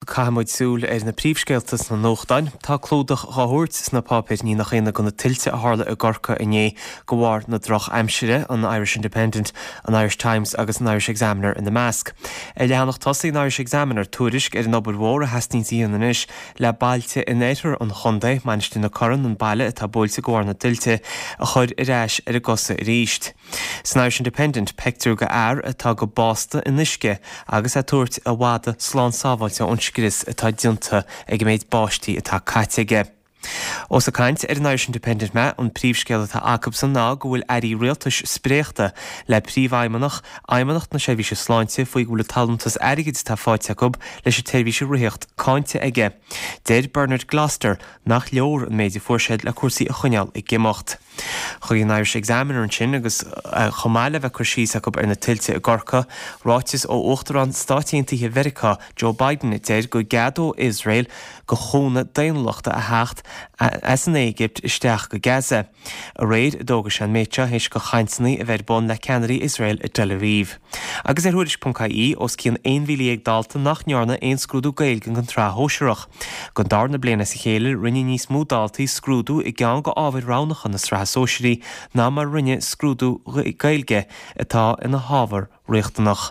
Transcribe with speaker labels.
Speaker 1: Caithfidh muid súil ar na príomhscéalta sna nuachtáin. Tá clúdach dhá thabhairt sna páipéir, ní nach ionadh, do na tuilte a tharla i gCorcaigh inné de bharr na drochaimsire, an Irish Independent, an Irish Times agus an Irish Examiner ina measc. Ar leathanach tosaigh an Irish Examiner, tuairisc ar an obair mhór a theastaíonns a dhéanamh anois le bailte in oirthear an chontae, Mainistir na Corann, an baile atá buailte de bharr na dtuilte, a chur ar ais ar a gcosa arís. San Irish Independent, peictiúr de fhear atá go básta in uisce agus é ag tabhairt a mhadadh slán sábháilte ón scrios atá déanta ag an méid báistí atá caite aige. Ós ag caint ar an Irish Independent mé, an príomhscéal atá acubsan ná go bhfuil airí rialtais spréachta le príomhfheidhmeannach Fheidhmeannacht na Seirbhíse Sláinte faoi go bhfuil an t-allúntas airgid atá faighte acu leis an tseirbhís a ritheacht cáinte aige. Deir Bernard Gloster nach leor an méid a fuair siad le cúrsaí a choinneáil ag imeacht. Chuig an Irish Examiner ansin agus chomh maith le bheith cur síos acu ar na tuilte i gCorcaigh, ráiteas ó Uachtarán Stáit Aontaithe Mheiriceá, Joe Biden a deir go gceadóidh Iosrael do chúnamh daonnúlachta a theacht as an Éigipt isteach go Gaza. Aréir a d'fhógair sé an méid seo théis do chainteanna a bheith ar bun le ceannairí Iosrael i dTel Aviv. Agus ar Thuairisc.ie, os cionn 11,000 dalta nach ndearna aon scrúdú Gaeilge den tsraith shóisearach. Don darna bliain as a chéile, rinne níos mó daltaí scrúdú i gceann de ábhair roghnacha na sraithe sóisearaí ná mar a rinne scrúdú Gaeilge, atá ina hábhar riachtanach.